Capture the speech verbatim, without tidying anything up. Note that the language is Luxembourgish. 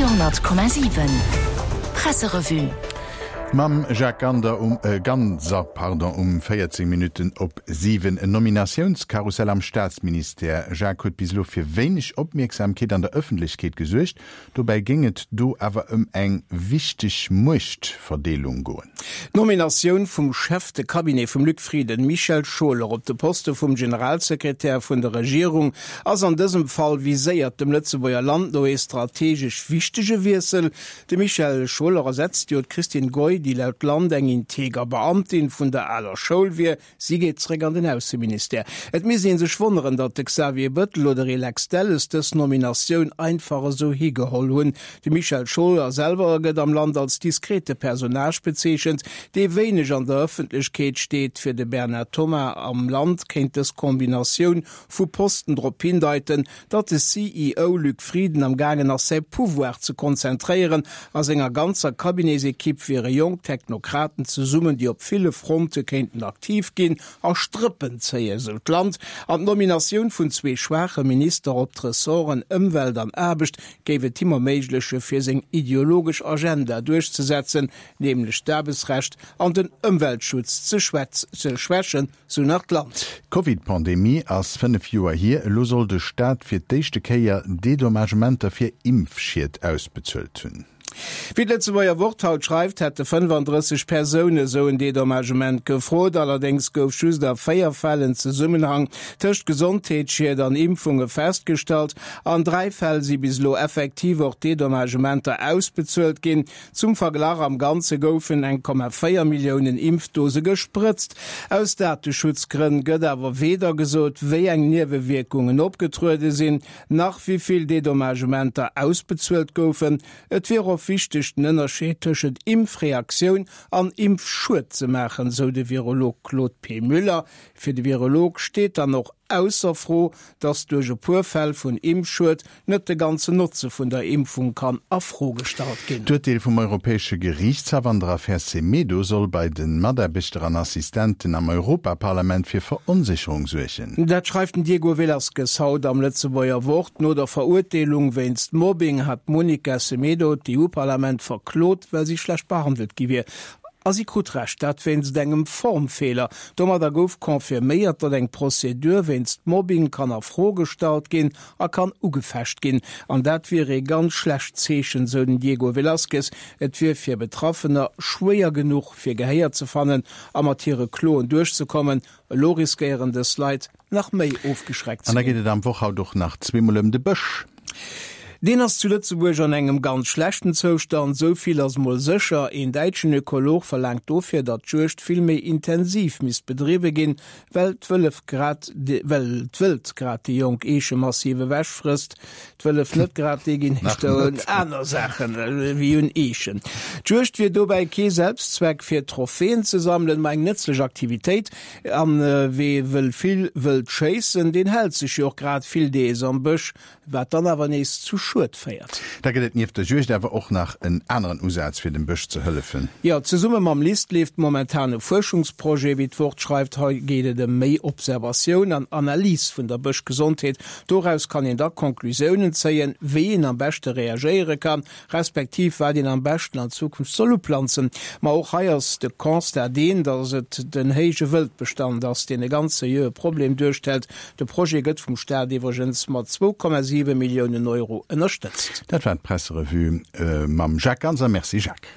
Radio honnert Komma siwen Presserevue. Mam Jacques Gander um, äh, Ganser pardon, um véierzéng Minutten op siwen. En Nominatiounskarussell am Staatsministère, Jacques, huet bis elo fir wéineg Opmierksamkeet an der Ëffentlechkeet gesuergt. Dobäi géing et do awer ëm eng wichteg Muechtverdeelung goen. D'Nominatioun vum Chef de Cabinet vum Luc Frieden, Michel Scholer, op de Poste vum Generalsekretär vun der Regierung ass an dësem Fall viséiert dem Lëtzebuerger Land no ee strategesch wichtege Wiessel. De Michel Scholer ersetzt jo d'Christine Goy, déi laut Land eng integer Beamtin vun der aler Schoul wier. Si geet zeréck an den Ausseministère. Et misst ee sech wonneren, datt de Xavier Bëttel oder ee Lex Delles dës Nominatioun einfach esou higeholl hunn. De Michel Scholer selwer gëtt am Land als diskrete Personnage bezeechent, dee wéineg an der Ëffentlechkeet steet. Fir de Bernard Thomas am Land kéint dës Kombinatioun vu Posten drop hindeiten, datt de C E O Luc Frieden am gaangen ass säi Pouvoir ze konzentréieren. A senger ganzer Cabinetsekipp wiere jonk Technokraten zesummen, déi op ville Fronte kéinten aktiv ginn a Strëppen zéien, sou d'Land. An d'Nominatioun vun zwee schwaache Minister op d'Ressorten Ëmwelt an Aarbecht géif et him erméigleche fir seng ideologesch Agenda duerchzesetzen, nämlech d'Aarbechtsrecht an den Ëmweltschutz ze schwächen, sou nach d'Land. D'Covid-Pandemie ass fënnef Joer hier. Elo soll de Staat fir d'éischte Kéier Dedommagementer fir Impfschied ausbezuelt hunn. Wéi d'Lëtzebuerger Wort haut schreift, hätte fënnefandrësseg Persoune sou en Dedommagement gefrot. Allerdéngs gouf just a véier Fäll en Zesummenhang tëscht Gesondheetsschied an Impfunge festgestallt. An dräi Fäll si bis elo effektiv och Dedommagementer ausbezuelt ginn. Zum Verglach, Am Ganze goufen eng Komma véier Milliounen Impfdose gesprëtzt. Aus Dateschutzgrënn gëtt awer weder gesot, wéi eng Niewewierkungen opgetruede sinn, nach wéi vill Dedommagementer ausbezuelt goufen. Et wier och wichteg, den Ënnerscheed tëschent Impfreaktioun an Impfschued ze maachen, sou de Virolog Claude P. Müller. Fir de Virolog steet dann och ausser Fro, datt duerch e puer Fäll vun Impfschued net de ganzen Notze vun der Impfung kann a Fro gestallt ginn. D'Urteel vum Europäesche Geriichtshaff an der Affär Semedo soll bei de Mataarbechter an Assistenten am Europaparlament fir Veronsécherung suergen. Dat schreift den Diego Velázquez haut am Lëtzebuerger Wort. No der Verurteelung wéinst Mobbing hat d'Monica Semedo d'EU-Parlament verklot, well si schlecht behandelt gi wier. A si krut Recht, dat wéinst engem Formfeeler. Domadder gouf confirméiert, datt eng Prozedur wéinst Mobbing kann a Fro gestallt ginn a kann ugefecht ginn. An dat wier ee ganz schlecht Zeechen, sou den Diego Velázquez. Et wier fir Betraffener schwéier genuch, fir Gehéier ze fannen a mat hire Kloen duerchzekommen. Elo riskéieren dës Leit nach méi ofgeschreckt An ze da geet ginn. et am Woch haut och nach zweemol ëm de Bësch. Deen ass zu Lëtzebuerg an engem ganz schlechten Zoustand, esou vill ass mol sécher. Een däitschen Ökolog verlaangt dofir, datt d'Juegd vill méi intensiv misst bedriwwe ginn, well d'Wëllef grad, well d'Wëld grad déi jonk Eeche massiv ewechfrësst. D'Wëllef net grad, déi ginn éischter un aner Saachen ewéi un Eechen. D'Juegd wier dobäi kee Selbstzweck fir Trophäen ze sammelen, ma eng nëtzlech Aktivitéit. An wee wëll vill Wëld schéissen, deen hält sech jo och grad vill dees am Bësch. Wat dann awer nees zu Schued féiert. Da gëtt et nieft der Juegd awer och nach en aneren Usaz fir dem Bësch ze hëllefen. Jo, zesumme mam LIST leeft momentan e Fuerschungsprojet, wéi d'Wort schreift. Hei geet et ëm méi Observatioun an Analys vun der Bëschgesondheet. Doraus kann een da Conclusiounen zéien, wéi een am beschte reagéiere kann, respektiv wat een am beschten an Zukunft soll uplanzen. Ma och hei ass de Constat deen, datt et den héije Wëldbestand ass, deen e ganz seriöe Problem duerstellt. De Projet gëtt vum Staat iwwregens mat zwou Komma siwe Milliounen Euro ënnerstëtzt. Dat war d'Presserevue mam Jacques Ganser. Merci Jacques.